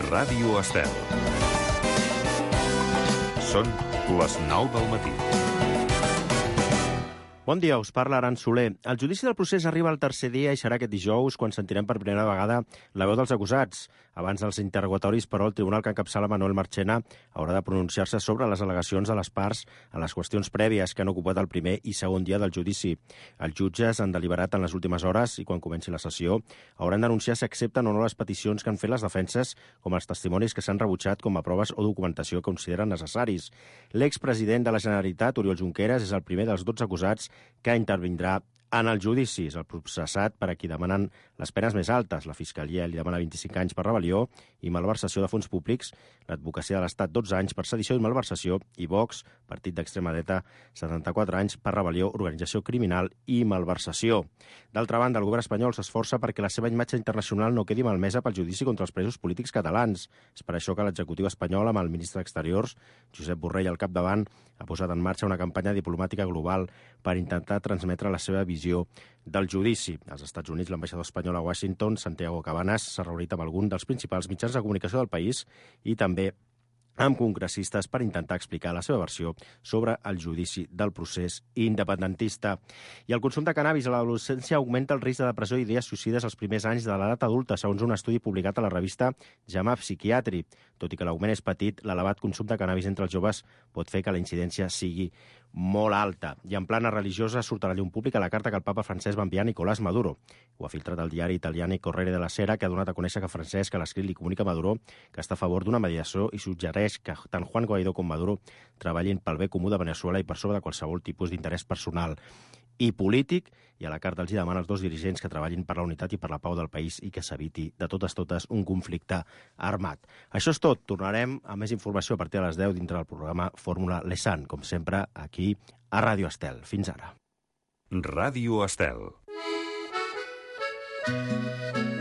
Ràdio Estel. Són les 9 del matí. Bon dia, us parla Aran Soler. El judici del procés arriba al tercer dia i serà aquest dijous quan sentirem per primera vegada la veu dels acusats. Abans dels interrogatoris, però, el tribunal que encapçala Manuel Marchena haurà de pronunciar-se sobre les al·legacions de les parts en les qüestions prèvies que han ocupat el primer i segon dia del judici. Els jutges han deliberat en les últimes hores i quan comenci la sessió hauran d'anunciar si accepten o no les peticions que han fet les defenses, com els testimonis que s'han rebutjat com a proves o documentació que consideren necessaris. L'expresident de la Generalitat, Oriol Junqueras, és el primer dels 12 acusats que intervindrà en el judici. És el processat per a qui demanen les penes més altes. La Fiscalia li demana 25 anys per rebel·lió i malversació de fons públics, l'advocacia de l'Estat 12 anys per sedició i malversació i Vox, partit d'extrema dreta, 74 anys per rebel·lió, organització criminal i malversació. D'altra banda, el govern espanyol s'esforça perquè la seva imatge internacional no quedi malmesa pel judici contra els presos polítics catalans. És per això que l'executiu espanyol, amb el ministre d'Exteriors, Josep Borrell, al capdavant, ha posat en marxa una campanya diplomàtica global per intentar transmetre la seva visió del judici. Als Estats Units, l'ambaixador espanyol a Washington, Santiago Cabanas, s'ha reunit amb algun dels principals mitjans de comunicació del país i també amb congressistes per intentar explicar la seva versió sobre el judici del procés independentista. I el consum de cannabis a l'adolescència augmenta el risc de depressió i idees suïcides als primers anys de l'edat adulta, segons un estudi publicat a la revista JAMA Psychiatry. Tot i que l'augment és petit, l'elevat consum de cannabis entre els joves pot fer que la incidència sigui molt alta. I en plana religiosa surt a la llum pública la carta que el papa Francesc va enviar a Nicolás Maduro. Ho ha filtrat el diari italià Corriere della Sera, que ha donat a conèixer que Francesc a l'escrit li comunica a Maduro que està a favor d'una mediació i suggereix que tant Juan Guaidó com Maduro treballin pel bé comú de Veneçuela i per sobre de qualsevol tipus d'interès personal i polític, i a la carta els demana als dos dirigents que treballin per la unitat i per la pau del país i que s'eviti de totes un conflicte armat. Això és tot. Tornarem a més informació a partir de les 10 dintre del programa Fórmula Lesan, com sempre, aquí a Ràdio Estel. Fins ara. Ràdio Estel.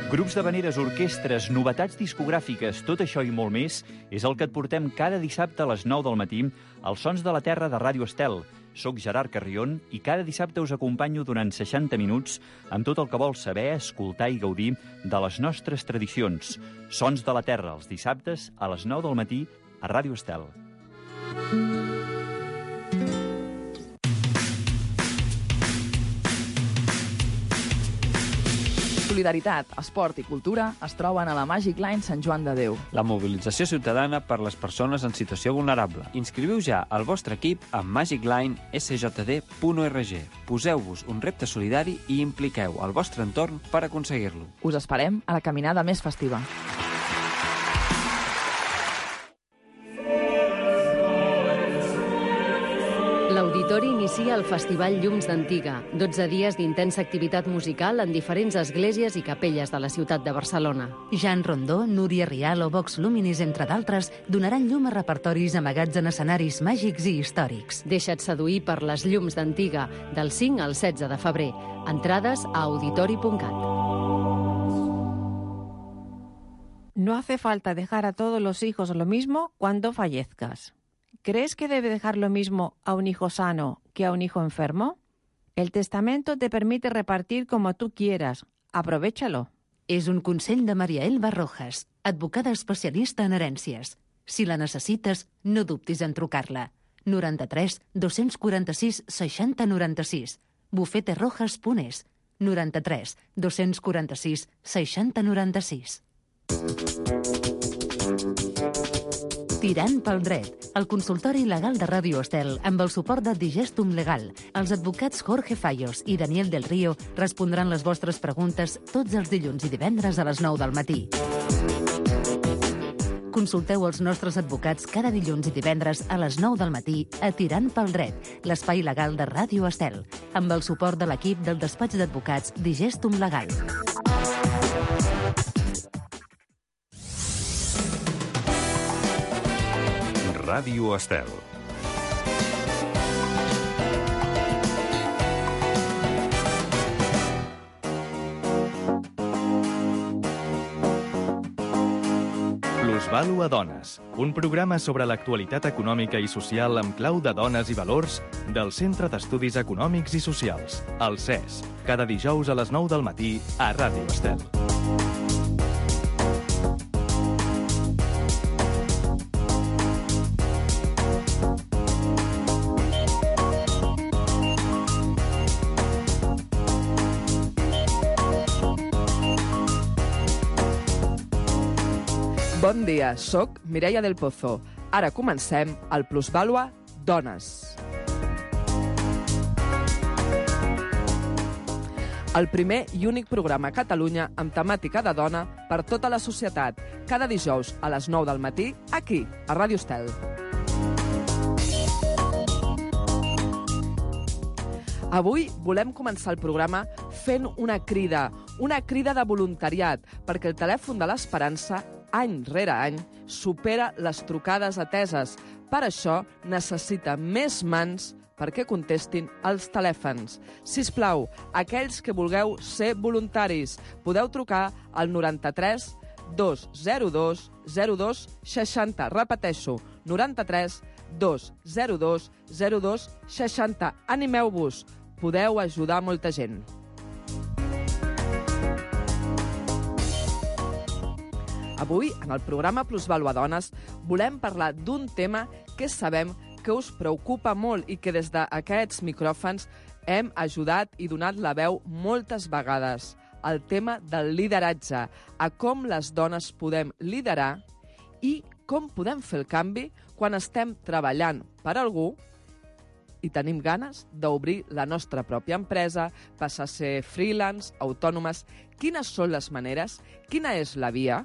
Grups d'havaneres, orquestres, novetats discogràfiques, tot això i molt més és el que et portem cada dissabte a les 9 del matí als Sons de la Terra de Ràdio Estel. Soc Gerard Carrion i cada dissabte us acompanyo durant 60 minuts amb tot el que vols saber, escoltar i gaudir de les nostres tradicions. Sons de la Terra, els dissabtes a les 9 del matí a Ràdio Estel. Solidaritat, esport i cultura es troben a la Magic Line Sant Joan de Déu. La mobilització ciutadana per les persones en situació vulnerable. Inscriviu ja el vostre equip a magiclinesjd.org. Poseu-vos un repte solidari i impliqueu el vostre entorn per aconseguir-lo. Us esperem a la caminada més festiva. L'Auditori inicia el Festival Llums d'Antiga, 12 dies d'intensa activitat musical en diferents esglésies i capelles de la ciutat de Barcelona. Jan Rondó, Núria Rial o Vox Luminis, entre d'altres, donaran llum a repertoris amagats en escenaris màgics i històrics. Deixa't seduir per les Llums d'Antiga, del 5 al 16 de febrer. Entrades a auditori.cat. No hace falta dejar a todos los hijos lo mismo cuando fallezcas. ¿Crees que debe dejar lo mismo a un hijo sano que a un hijo enfermo? El testamento te permite repartir como tú quieras. Aprovéchalo. És un consell de Maria Elba Rojas, advocada especialista en herències. Si la necessites, no dubtis en trucar-la. 93 246 60 96. bufeterojas.es. 93 246 60 96. Tirant pel dret, el consultori legal de Ràdio Estel amb el suport de Digestum Legal. Els advocats Jorge Fallos i Daniel del Río respondran les vostres preguntes tots els dilluns i divendres a les 9 del matí. Consulteu els nostres advocats cada dilluns i divendres a les 9 del matí a Tirant pel dret, l'espai legal de Ràdio Estel, amb el suport de l'equip del despatx d'advocats Digestum Legal. Ràdio Estel. Plusvàlua Dones, un programa sobre l'actualitat econòmica i social amb clau de dones i valors del Centre d'Estudis Econòmics i Socials, el CES, cada dijous a les 9 del matí a Ràdio Estel. Bon dia, soc Mireia del Pozo. Ara comencem el Plusvàlua Dones. El primer i únic programa a Catalunya amb temàtica de dona per tota la societat. Cada dijous a les 9 del matí, aquí, a Ràdio Estel. Avui volem començar el programa fent una crida de voluntariat, perquè el telèfon de l'Esperança, any rere any, supera les trucades ateses. Per això necessita més mans perquè contestin els telèfons. Sisplau, aquells que vulgueu ser voluntaris, podeu trucar al 93 202 02 60. Repeteixo, 93 202 02 60. Animeu-vos, podeu ajudar molta gent. Avui, en el programa Plusvàlua Dones, volem parlar d'un tema que sabem que us preocupa molt i que des d'aquests micròfons hem ajudat i donat la veu moltes vegades. El tema del lideratge, a com les dones podem liderar i com podem fer el canvi quan estem treballant per algú i tenim ganes d'obrir la nostra pròpia empresa, passar a ser freelance, autònomes. Quines són les maneres? Quina és la via?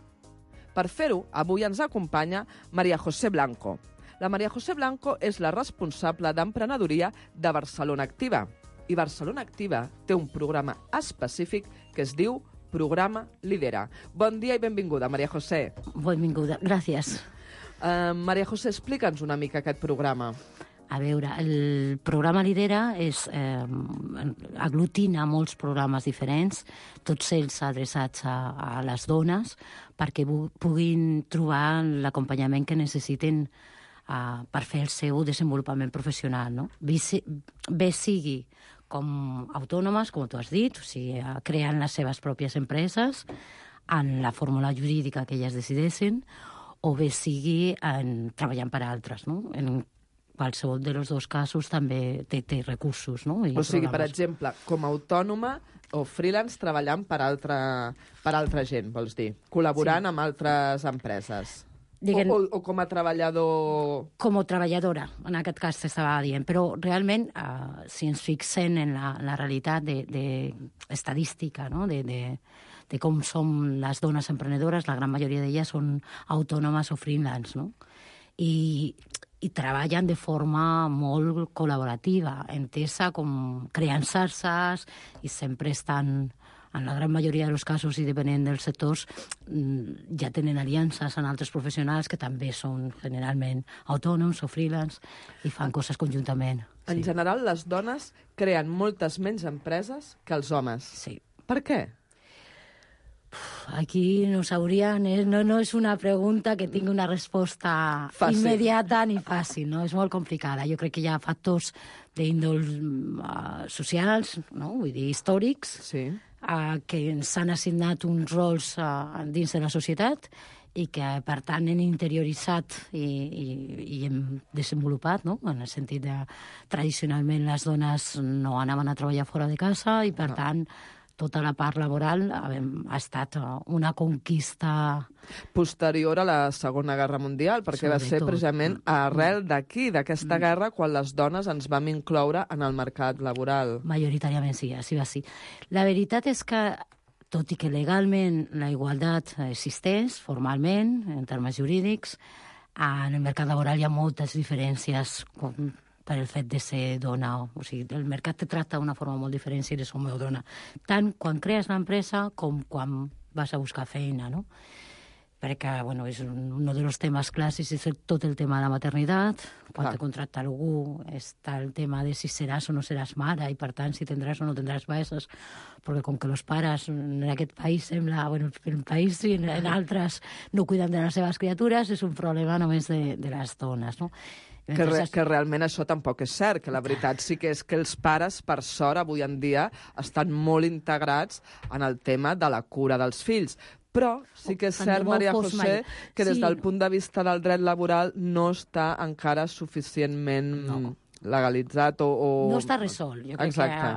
Per fer-ho, avui ens acompanya María José Blanco. La María José Blanco és la responsable d'emprenedoria de Barcelona Activa. I Barcelona Activa té un programa específic que es diu Programa Lidera. Bon dia i benvinguda, María José. Benvinguda, gràcies. María José, explica'ns una mica aquest programa. A veure, el programa Lidera aglutina molts programes diferents, tots ells adreçats a les dones, perquè puguin trobar l'acompanyament que necessiten per fer el seu desenvolupament professional, no? Bé sigui com autònomes, com tu has dit, o sigui, creant les seves pròpies empreses en la fórmula jurídica que elles decideixen, o bé sigui treballant per altres, no? En qualsevol dels dos casos també té recursos, no? O sigui, per exemple, com a autònoma o freelance treballant per altra gent, vols dir? Col·laborant amb altres empreses. O com a treballador... Com a treballadora, en aquest cas t'estava dient. Però realment, si ens fixem en la realitat estadística, no? de com som les dones emprenedores, la gran majoria d'elles són autònomes o freelance, no? I treballen de forma molt col·laborativa, entesa com creant xarxes i sempre estan... En la gran majoria dels casos, i depenent dels sectors, ja tenen aliances amb altres professionals que també són generalment autònoms o freelance i fan coses conjuntament. En general, les dones creen moltes menys empreses que els homes. Sí. Per què? Aquí no és una pregunta que tingui una resposta immediata ni fàcil, no? És molt complicada. Jo crec que hi ha factors d'índol socials, no? Vull dir, històrics, sí, que ens han assignat uns rols dins de la societat i que, per tant, hem interioritzat i hem desenvolupat, no? En el sentit de, tradicionalment, les dones no anaven a treballar fora de casa i, per tant, tota la part laboral ha estat una conquista... Posterior a la Segona Guerra Mundial, perquè va ser precisament arrel d'aquí, d'aquesta guerra, quan les dones ens vam incloure en el mercat laboral. Majoritàriament sí, així va ser. La veritat és que, tot i que legalment la igualtat existeix, formalment, en termes jurídics, en el mercat laboral hi ha moltes diferències per el fet de ser dona. O sigui, el mercat te tracta d'una forma molt diferent si eres home o dona. Tant quan crees l'empresa com quan vas a buscar feina, no? Perquè, bueno, és un dels temes clàssics, és tot el tema de la maternitat. Quan te contracta algú està el tema de si seràs o no seràs mare i, per tant, si tindràs o no tindràs pares, perquè com que els pares en aquest país sembla, bueno, en el país i en altres no cuiden de les seves criatures, és un problema només de les dones, no? Que realment això tampoc és cert, que la veritat sí que és que els pares, per sort, avui en dia, estan molt integrats en el tema de la cura dels fills. Però sí que és cert, María José, que des del punt de vista del dret laboral no està encara suficientment legalitzat o... No està resolt. Jo crec Exacte.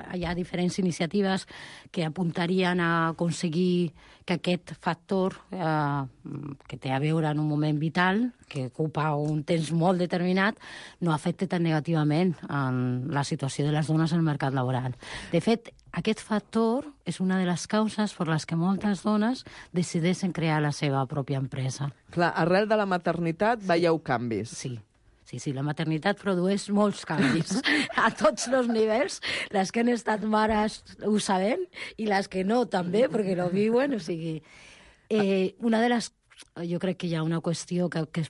que hi ha diferents iniciatives que apuntarien a aconseguir que aquest factor que té a veure en un moment vital, que ocupa un temps molt determinat, no afecti tan negativament en la situació de les dones al mercat laboral. De fet, aquest factor és una de les causes per les que moltes dones decideixen crear la seva pròpia empresa. Clar, arrel de la maternitat veieu canvis. Sí, la maternitat produeix molts canvis a tots els nivells. Les que han estat mares ho sabem i les que no també, perquè no viuen. O sigui, una de les... Jo crec que hi ha una qüestió que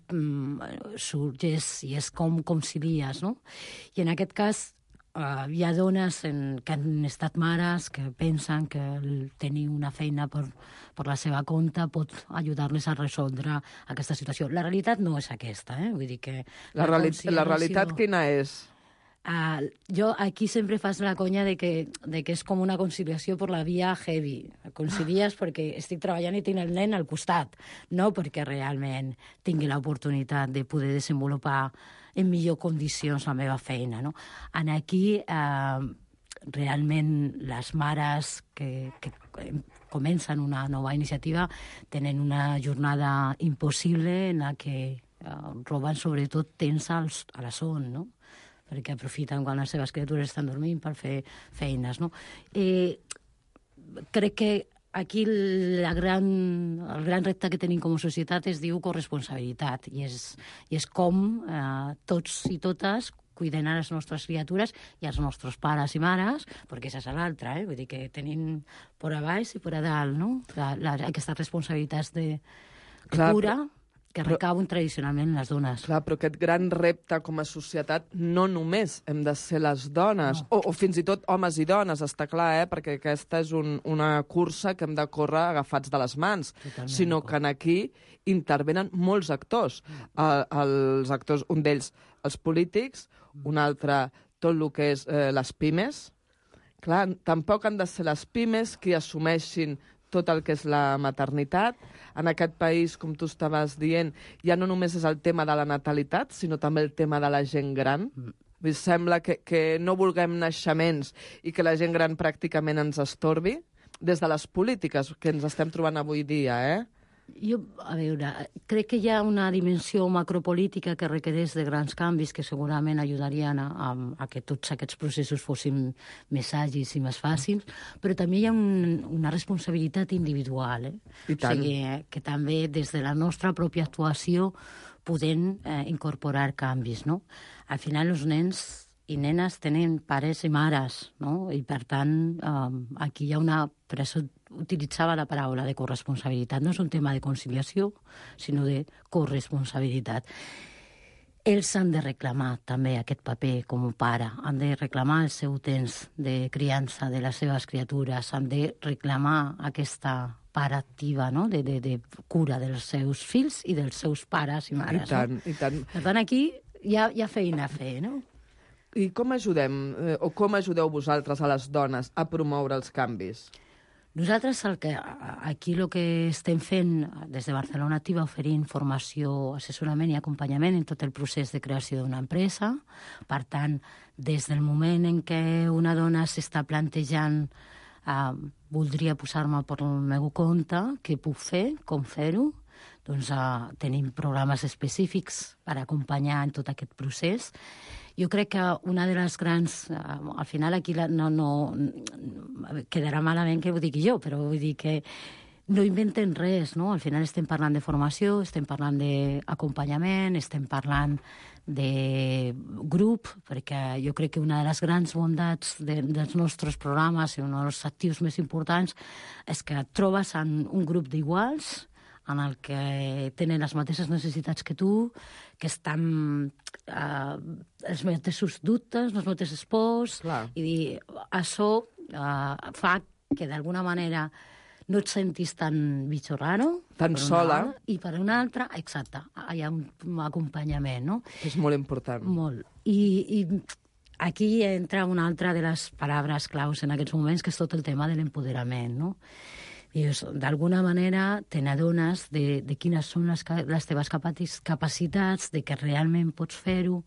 sorgeix i és com concilies, no? I en aquest cas hi ha dones que han estat mares que pensen que tenir una feina per la seva compte pot ajudar-les a resoldre aquesta situació. La realitat no és aquesta, Vull dir que... La realitat quina és? Jo aquí sempre fas la conya de que és com una conciliació per la via heavy. Concilies perquè estic treballant i tinc el nen al costat, no perquè realment tingui l'oportunitat de poder desenvolupar en millor condicions la meva feina, no? Aquí, realment, les mares que comencen una nova iniciativa tenen una jornada impossible en la que roben sobretot temps a la son, no? Perquè aprofiten quan les seves criatures estan dormint per fer feines, no? Crec que aquí el gran repte que tenim com a societat es diu corresponsabilitat i és com tots i totes cuiden a les nostres criatures i als nostres pares i mares, perquè això és l'altre, vull dir que tenim per a baix i per a dalt, no? Aquestes responsabilitats de cura que recauen tradicionalment les dones. Clar, però aquest gran repte com a societat no només hem de ser les dones, o fins i tot homes i dones, està clar, perquè aquesta és una cursa que hem de córrer agafats de les mans, sinó que aquí intervenen molts actors. Els actors, un d'ells, els polítics, un altre, tot el que és les pimes. Clar, tampoc han de ser les pimes qui assumeixin tot el que és la maternitat. En aquest país, com tu estaves dient, ja no només és el tema de la natalitat, sinó també el tema de la gent gran. Sembla que no vulguem naixements i que la gent gran pràcticament ens estorbi des de les polítiques que ens estem trobant avui dia, Jo, a veure, crec que hi ha una dimensió macropolítica que requereix de grans canvis que segurament ajudarien a que tots aquests processos fossin més àgils i més fàcils, però també hi ha una responsabilitat individual, I tant. O sigui, que també des de la nostra pròpia actuació podem incorporar canvis, no? Al final els nens i nenes tenen pares i mares, no? I per tant aquí hi ha una pressió. Utilitzava la paraula de corresponsabilitat. No és un tema de conciliació, sinó de corresponsabilitat. Ells han de reclamar també aquest paper com a pare, han de reclamar el seu temps de criança de les seves criatures, han de reclamar aquesta part activa, no? de cura dels seus fills i dels seus pares i mares. I tant, no? i tant. Per tant, aquí hi ha feina a fer, no? I com ajudem, o com ajudeu vosaltres a les dones a promoure els canvis? Nosaltres aquí el que estem fent des de Barcelona Activa oferint formació, assessorament i acompanyament en tot el procés de creació d'una empresa. Per tant, des del moment en què una dona s'està plantejant voldria posar-me per el meu compte, què puc fer, com fer-ho, doncs tenim programes específics per acompanyar en tot aquest procés. Jo crec que una de les grans... al final aquí no quedarà malament que ho digui jo, però vull dir que no inventen res, no? Al final estem parlant de formació, estem parlant d'acompanyament, estem parlant de grup, perquè jo crec que una de les grans bondats dels nostres programes i un dels actius més importants és que et trobes en un grup d'iguals en el que tenen les mateixes necessitats que tu, que estan els mateixos dubtes, les mateixes pors, i dir, això fa que d'alguna manera no et sentis tan bicho raro. Tan sola. I per una altra, exacte, hi ha un acompanyament, no? És molt important. Molt. I aquí entra una altra de les paraules claus en aquests moments, que és tot el tema de l'empoderament, no? I d'alguna manera te n'adones de quines són les teves capacitats, de que realment pots fer-ho,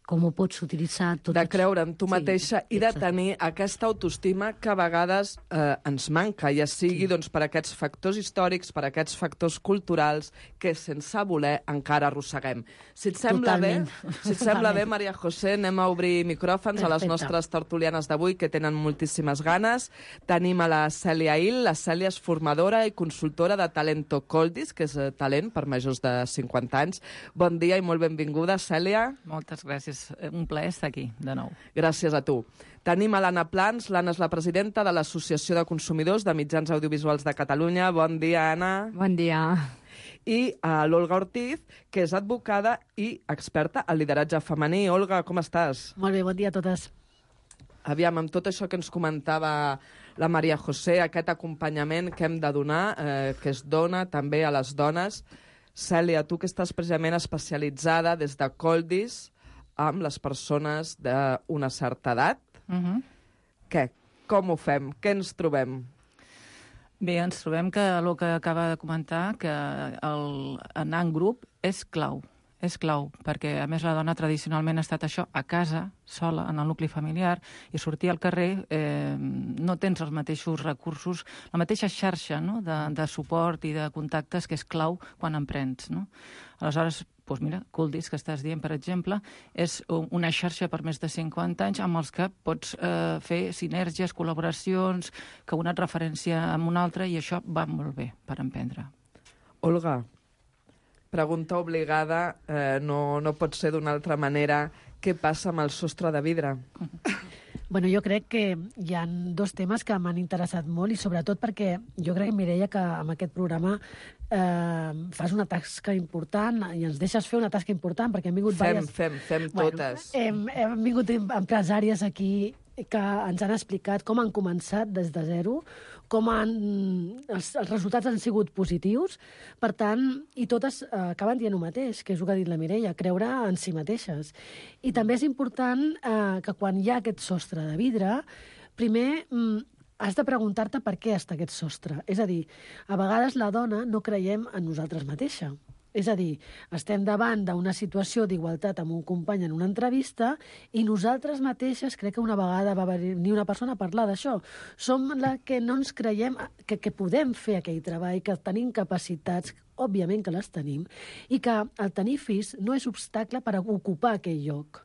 com ho pots utilitzar... De creure en tu mateixa i de tenir aquesta autoestima que a vegades ens manca, ja sigui doncs, per aquests factors històrics, per aquests factors culturals que sense voler encara arrosseguem. Si et sembla bé, Maria José, anem a obrir micròfons a les nostres tertulianes d'avui, que tenen moltíssimes ganes. Tenim a la Cèlia Hill. La Cèlia és formadora i consultora de Talento Coldis, que és talent per majors de 50 anys. Bon dia i molt benvinguda, Cèlia. Moltes gràcies. Un plaer estar aquí, de nou. Gràcies a tu. Tenim a l'Anna Plans. L'Anna és la presidenta de l'Associació de Consumidors de Mitjans Audiovisuals de Catalunya. Bon dia, Anna. Bon dia. I a l'Olga Ortiz, que és advocada i experta en lideratge femení. Olga, com estàs? Molt bé, bon dia a totes. Aviam, amb tot això que ens comentava la Maria José, aquest acompanyament que hem de donar, que es dona també a les dones. Cèlia, tu que estàs precisament especialitzada des de Coldis amb les persones d'una certa edat. Què? Com ho fem? Què ens trobem? Bé, ens trobem que el que acaba de comentar, que anar en grup és clau. És clau, perquè a més la dona tradicionalment ha estat això, a casa, sola, en el nucli familiar, i sortir al carrer no tens els mateixos recursos, la mateixa xarxa, no?, de suport i de contactes que és clau quan emprens, no? Aleshores, doncs mira, Coldis, que estàs dient, per exemple, és una xarxa per més de 50 anys amb els que pots fer sinergies, col·laboracions, que una et referència amb una altra, i això va molt bé per emprendre. Olga, pregunta obligada, no pot ser d'una altra manera. Què passa amb el sostre de vidre? Bueno, jo crec que hi ha dos temes que m'han interessat molt i sobretot perquè jo crec, Mireia, que amb aquest programa fas una tasca important i ens deixes fer una tasca important perquè han vingut Fem totes. Hem vingut empresàries aquí que ens han explicat com han començat des de zero, com els resultats han sigut positius, per tant, i totes acaben dient el mateix, que és el que ha dit la Mireia, creure en si mateixes. I també és important que quan hi ha aquest sostre de vidre, primer has de preguntar-te per què està aquest sostre. És a dir, a vegades la dona no creiem en nosaltres mateixa. És a dir, estem davant d'una situació d'igualtat amb un company en una entrevista i nosaltres mateixes, crec que una vegada va venir una persona a parlar d'això, som la que no ens creiem que podem fer aquell treball, que tenim capacitats, òbviament que les tenim, i que el tenir fills no és obstacle per ocupar aquell lloc.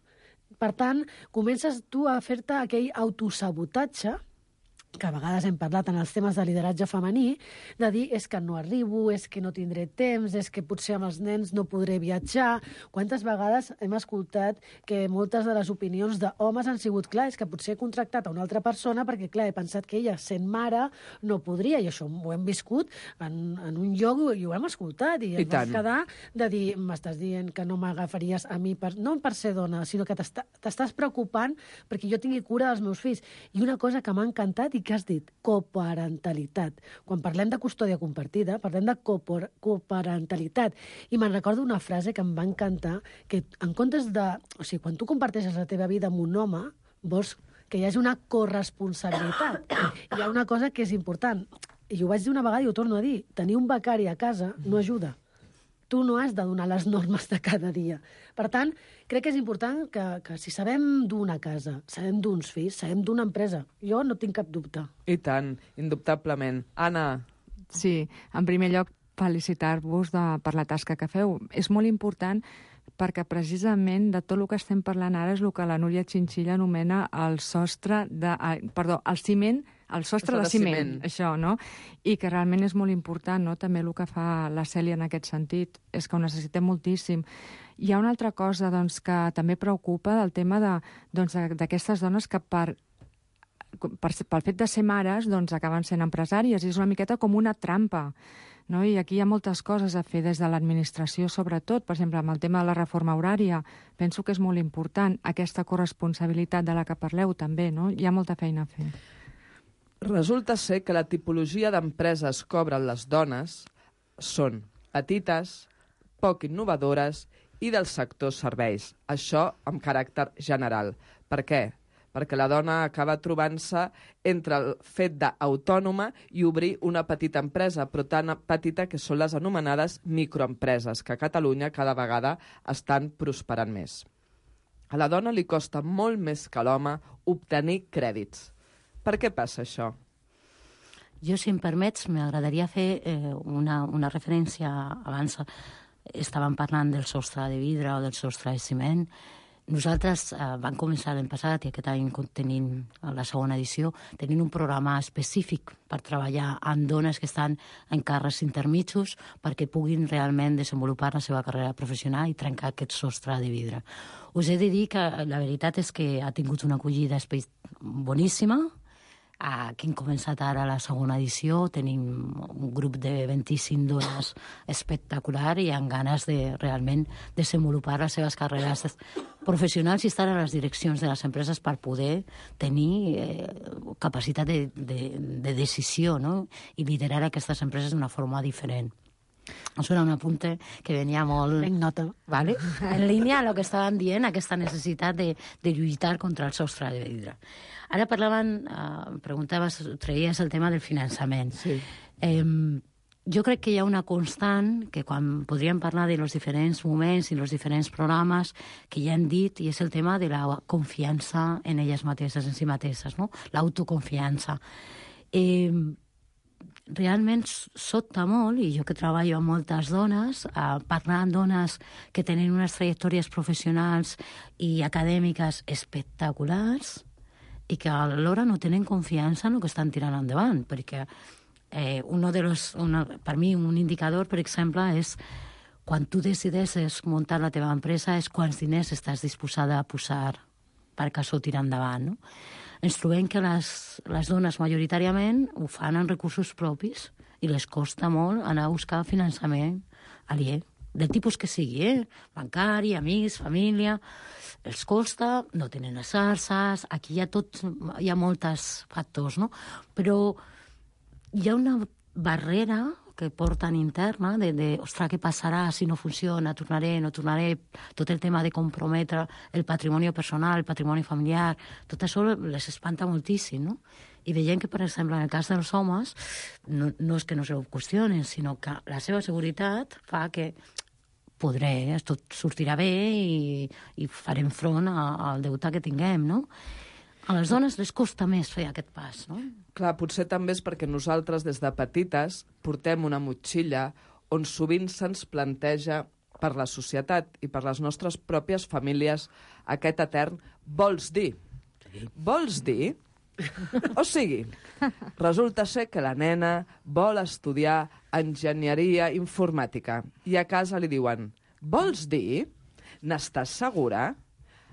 Per tant, comences tu a fer-te aquell autosabotatge, que a vegades hem parlat en els temes de lideratge femení, de dir és que no arribo, és que no tindré temps, és que potser amb els nens no podré viatjar. Quantes vegades hem escoltat que moltes de les opinions d'homes han sigut, clar, és que potser he contractat a una altra persona perquè, clar, he pensat que ella, sent mare, no podria, i això ho hem viscut en un lloc i ho hem escoltat, i ens vam quedar de dir, m'estàs dient que no m'agafaries a mi, no per ser dona, sinó que t'estàs preocupant perquè jo tingui cura dels meus fills. I una cosa que m'ha encantat i que has dit, coparentalitat. Quan parlem de custòdia compartida, parlem de coparentalitat. I me'n recordo una frase que em va encantar, que en comptes de... O sigui, quan tu comparteixes la teva vida amb un home, vols que hi hagi una corresponsabilitat. Hi ha una cosa que és important, i ho vaig dir una vegada i ho torno a dir, tenir un becari a casa no ajuda. Tu no has de donar les normes de cada dia. Per tant, crec que és important que si sabem d'una casa, sabem d'uns fills, sabem d'una empresa. Jo no tinc cap dubte. I tant, indubtablement. Anna. Sí, en primer lloc, felicitar-vos per la tasca que feu. És molt important perquè precisament de tot el que estem parlant ara és el que la Núria Chinchilla anomena el sostre de... Perdó, el ciment, el sostre de ciment, això, no? I que realment és molt important, no? També el que fa la Cèlia en aquest sentit, és que ho necessitem moltíssim. Hi ha una altra cosa, doncs, que també preocupa del tema d'aquestes dones que pel fet de ser mares, doncs, acaben sent empresàries, i és una miqueta com una trampa, no? I aquí hi ha moltes coses a fer des de l'administració, sobretot, per exemple, amb el tema de la reforma horària. Penso que és molt important aquesta corresponsabilitat de la que parleu, també, no? Hi ha molta feina a fer. Resulta ser que la tipologia d'empreses que obren les dones són petites, poc innovadores i del sector serveis. Això amb caràcter general. Per què? Perquè la dona acaba trobant-se entre el fet d'autònoma i obrir una petita empresa, però tan petita que són les anomenades microempreses, que a Catalunya cada vegada estan prosperant més. a la dona li costa molt més que a l'home obtenir crèdits. Per què passa això? Jo, si em permets, m'agradaria fer una referència. Abans estàvem parlant del sostre de vidre o del sostre de ciment. Nosaltres vam començar l'any passat, i aquest any tenim la segona edició, tenint un programa específic per treballar amb dones que estan en càrrecs intermitjos perquè puguin realment desenvolupar la seva carrera professional i trencar aquest sostre de vidre. Us he de dir que la veritat és que ha tingut una acollida boníssima. Que hem començat ara la segona edició, tenim un grup de 25 dones espectacular i amb ganes de realment desenvolupar les seves carreres professionals i estar a les direccions de les empreses per poder tenir capacitat de decisió, no? I liderar aquestes empreses d'una forma diferent. Això era un apunte que venia molt... En nota. ¿Vale? En línia amb el que estàvem dient, aquesta necessitat de lluitar contra el sostre de vidre. Ara traies el tema del finançament. Sí. Jo crec que hi ha una constant que quan podríem parlar de los diferents moments i els diferents programes que ja hem dit, i és el tema de la confiança en elles mateixes, en si mateixes, no? L'autoconfiança. Realment sobta molt, i jo que treballo amb moltes dones, parlar amb dones que tenen unes trajectòries professionals i acadèmiques espectaculars i que alhora no tenen confiança en el que estan tirant endavant, perquè per mi un indicador, per exemple, és quan tu decideixes muntar la teva empresa és quants diners estàs disposada a posar perquè això tira endavant, no? Ens trobem que les dones majoritàriament ho fan amb recursos propis i les costa molt anar a buscar finançament aliè, del tipus que sigui, bancari, amics, família. Els costa, no tenen les xarxes, aquí hi ha molts factors, no? Però hi ha una barrera que porten interna de ostres, què passarà si no funciona, tornaré, no tornaré, tot el tema de comprometre el patrimoni personal, el patrimoni familiar, tot això les espanta moltíssim, no? I veiem que, per exemple, en el cas dels homes, no és que no se ho qüestionen, sinó que la seva seguretat fa que podré, tot sortirà bé i farem front al deute que tinguem, no? A les dones les costa més fer aquest pas, no? Clar, potser també és perquè nosaltres, des de petites, portem una motxilla on sovint se'ns planteja per la societat i per les nostres pròpies famílies aquest etern vols dir. Vols dir? O sigui, resulta ser que la nena vol estudiar enginyeria informàtica i a casa li diuen vols dir? N'estàs segura?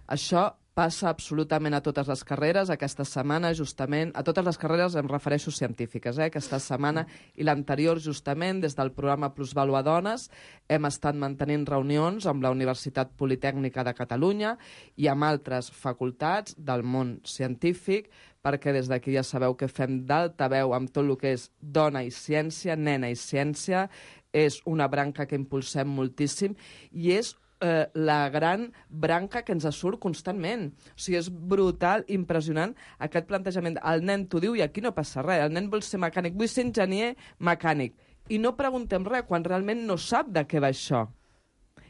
Això passa absolutament a totes les carreres. Aquesta setmana, justament, a totes les carreres em refereixo científiques, aquesta setmana i l'anterior, justament, des del programa Plusvàlua Dones, hem estat mantenint reunions amb la Universitat Politècnica de Catalunya i amb altres facultats del món científic, perquè des d'aquí ja sabeu que fem d'altaveu amb tot el que és dona i ciència, nena i ciència, és una branca que impulsem moltíssim i és la gran branca que ens surt constantment. O sigui, és brutal, impressionant aquest plantejament. El nen t'ho diu i aquí no passa res. El nen vol ser mecànic, vull ser enginyer mecànic. I no preguntem res quan realment no sap de què va això.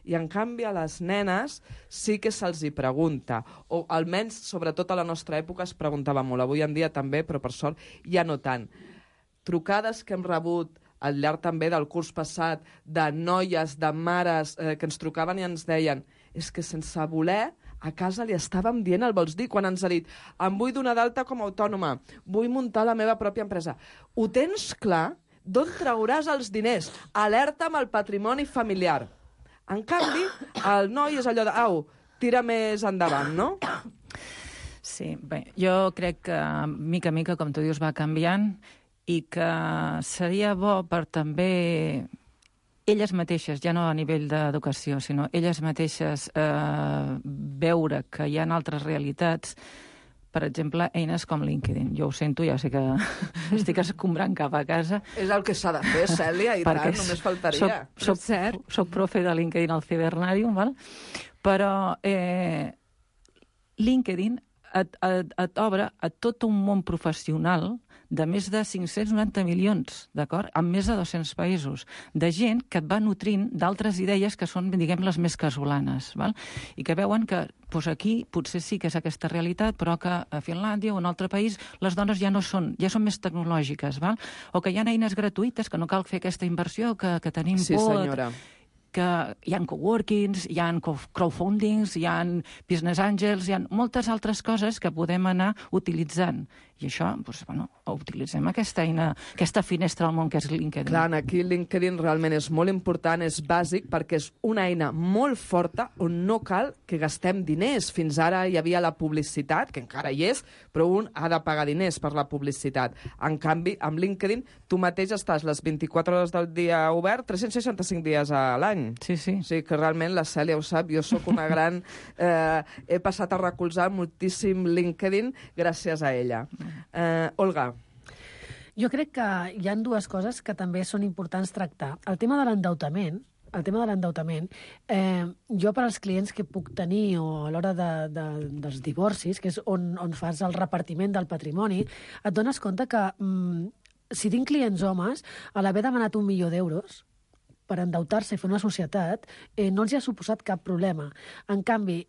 I en canvi a les nenes sí que se'ls hi pregunta. O almenys, sobretot a la nostra època, es preguntava molt. Avui en dia també, però per sort ja no tant. Trucades que hem rebut al llarg també del curs passat, de noies, de mares, que ens trucaven i ens deien és que sense voler a casa li estàvem dient el vols dir, quan ens ha dit em vull donar d'alta com a autònoma, vull muntar la meva pròpia empresa. Ho tens clar? D'on trauràs els diners? Alerta amb el patrimoni familiar. En canvi, el noi és allò de au, tira més endavant, no? Sí, bé, jo crec que mica a mica, com tu dius, va canviant i que seria bo per també elles mateixes, ja no a nivell d'educació, sinó elles mateixes veure que hi ha altres realitats, per exemple, eines com LinkedIn. Jo ho sento, ja sé que estic escombrant cap a casa. És el que s'ha de fer, Cèlia, i tant, només faltaria. Soc profe de LinkedIn al Cibernarium, val? Però LinkedIn et obre a tot un món professional de més de 590 milions, d'acord? En més de 200 països, de gent que et va nutrint d'altres idees que són, diguem, les més casolanes, val? I que veuen que aquí potser sí que és aquesta realitat, però que a Finlàndia o en un altre país les dones ja són més tecnològiques, val? O que hi ha eines gratuïtes, que no cal fer aquesta inversió, que tenim Sí, por... senyora. Que hi ha coworkings, hi ha crowdfundings, hi ha business angels, hi ha moltes altres coses que podem anar utilitzant. I això, doncs, utilitzem aquesta eina, aquesta finestra al món que és LinkedIn. Clar, aquí LinkedIn realment és molt important, és bàsic, perquè és una eina molt forta on no cal que gastem diners. Fins ara hi havia la publicitat, que encara hi és, però un ha de pagar diners per la publicitat. En canvi, amb LinkedIn, tu mateix estàs les 24 hores del dia obert, 365 dies a l'any. Sí, sí. O sigui que realment la Cèlia ho sap, jo sóc una gran... he passat a recolzar moltíssim LinkedIn gràcies a ella. Olga. Jo crec que hi ha dues coses que també són importants tractar. El tema de l'endeutament, jo per als clients que puc tenir o a l'hora dels divorcis, que és on fas el repartiment del patrimoni, et dones compte que si tinc clients homes, a l'haver demanat 1 milió d'euros per endeutar-se i fer una societat, no els hi ha suposat cap problema. En canvi,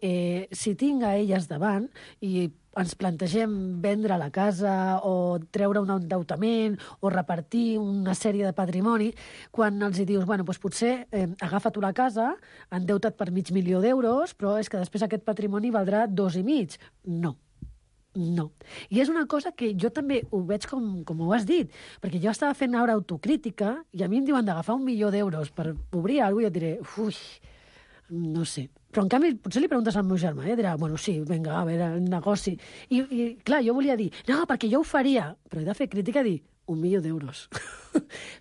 si tinc a elles davant i ens plantegem vendre la casa o treure un endeutament o repartir una sèrie de patrimoni, quan els hi dius, bueno, doncs potser agafa tu la casa, endeuta't per 500.000 d'euros, però és que després aquest patrimoni valdrà 2,5. No. I és una cosa que jo també ho veig com ho has dit, perquè jo estava fent ara autocrítica i a mi em diuen d'agafar 1 milió d'euros per obrir alguna cosa i jo diré, no sé. Però, en canvi, potser li preguntes al meu germà, dirà, bueno, sí, vinga, a veure, el negoci. I clar, jo volia dir, no, perquè jo ho faria, però he de fer crítica i dir, 1 milió d'euros.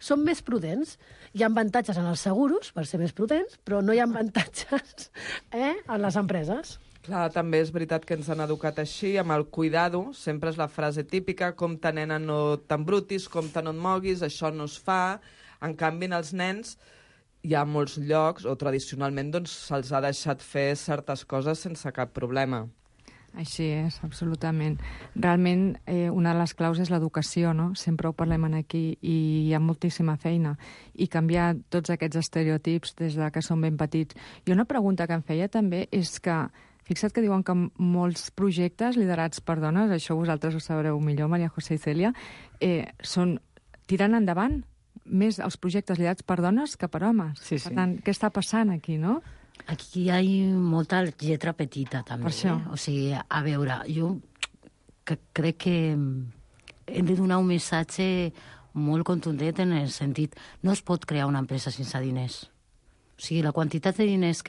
Som més prudents. Hi ha avantatges en els seguros, per ser més prudents, però no hi ha avantatges en les empreses. Clar, també és veritat que ens han educat així, amb el cuidado, sempre és la frase típica, compte nena no t'embrutis, compte no et moguis, això no es fa. En canvi, en els nens hi ha molts llocs, o tradicionalment doncs, se'ls ha deixat fer certes coses sense cap problema. Així és, absolutament. Realment, una de les claus és l'educació, no? Sempre ho parlem aquí i hi ha moltíssima feina. I canviar tots aquests estereotips des de que som ben petits. I una pregunta que em feia també és que, fixa't que diuen que molts projectes liderats per dones, això vosaltres ho sabreu millor, Maria José i Cèlia, tiren endavant més els projectes liderats per dones que per homes. Sí, sí. Per tant, què està passant aquí, no? Aquí hi ha molta lletra petita, també. Per això. O sigui, a veure, jo crec que hem de donar un missatge molt contundent en el sentit, no es pot crear una empresa sense diners. O sigui, la quantitat de diners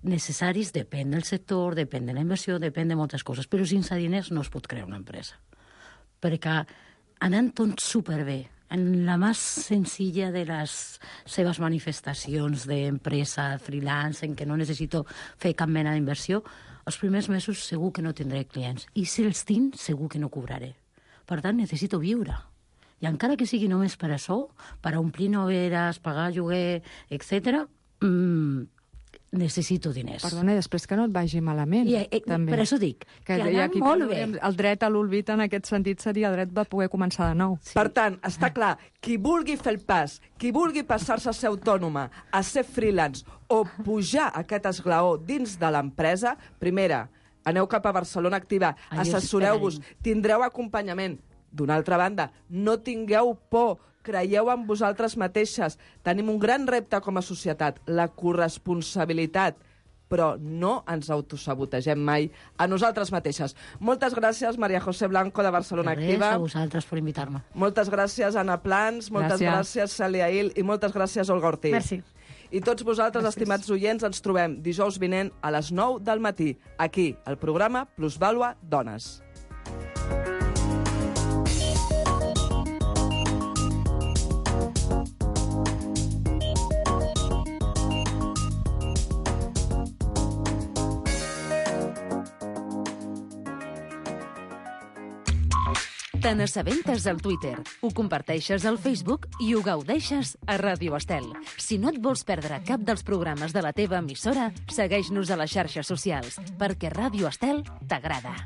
necessaris depèn del sector, depèn de la inversió, depèn de moltes coses, però sense diners no es pot crear una empresa. Perquè anant tot superbé, en la més senzilla de les seves manifestacions d'empresa freelance, en què no necessito fer cap mena d'inversió, els primers mesos segur que no tindré clients. I si els tinc, segur que no cobraré. Per tant, necessito viure. I encara que sigui només per això, per omplir noveres, pagar lloguer, etc., necessito diners. Perdona, després que no et vagi malament. Per això dic, que anar molt bé. El dret a l'olvid en aquest sentit seria el dret de poder començar de nou. Sí. Per tant, està clar, qui vulgui fer el pas, qui vulgui passar-se a ser autònoma, a ser freelance o pujar aquest esglaó dins de l'empresa, primera, aneu cap a Barcelona Activa, assessoreu-vos, tindreu acompanyament. D'una altra banda, no tingueu por, creieu en vosaltres mateixes. Tenim un gran repte com a societat, la corresponsabilitat, però no ens autosabotegem mai a nosaltres mateixes. Moltes gràcies, Maria José Blanco, de Barcelona Activa. A vosaltres per invitar-me. Moltes gràcies, Anna Plans, moltes gràcies, Cèlia Il, i moltes gràcies, Olga Ortiz. Merci. I tots vosaltres, estimats oients, ens trobem dijous vinent a les 9 del matí, aquí, al programa Plusvàlua Dones. Te n'assabentes al Twitter, ho comparteixes al Facebook i ho gaudeixes a Ràdio Estel. Si no et vols perdre cap dels programes de la teva emissora, segueix-nos a les xarxes socials, perquè Ràdio Estel t'agrada.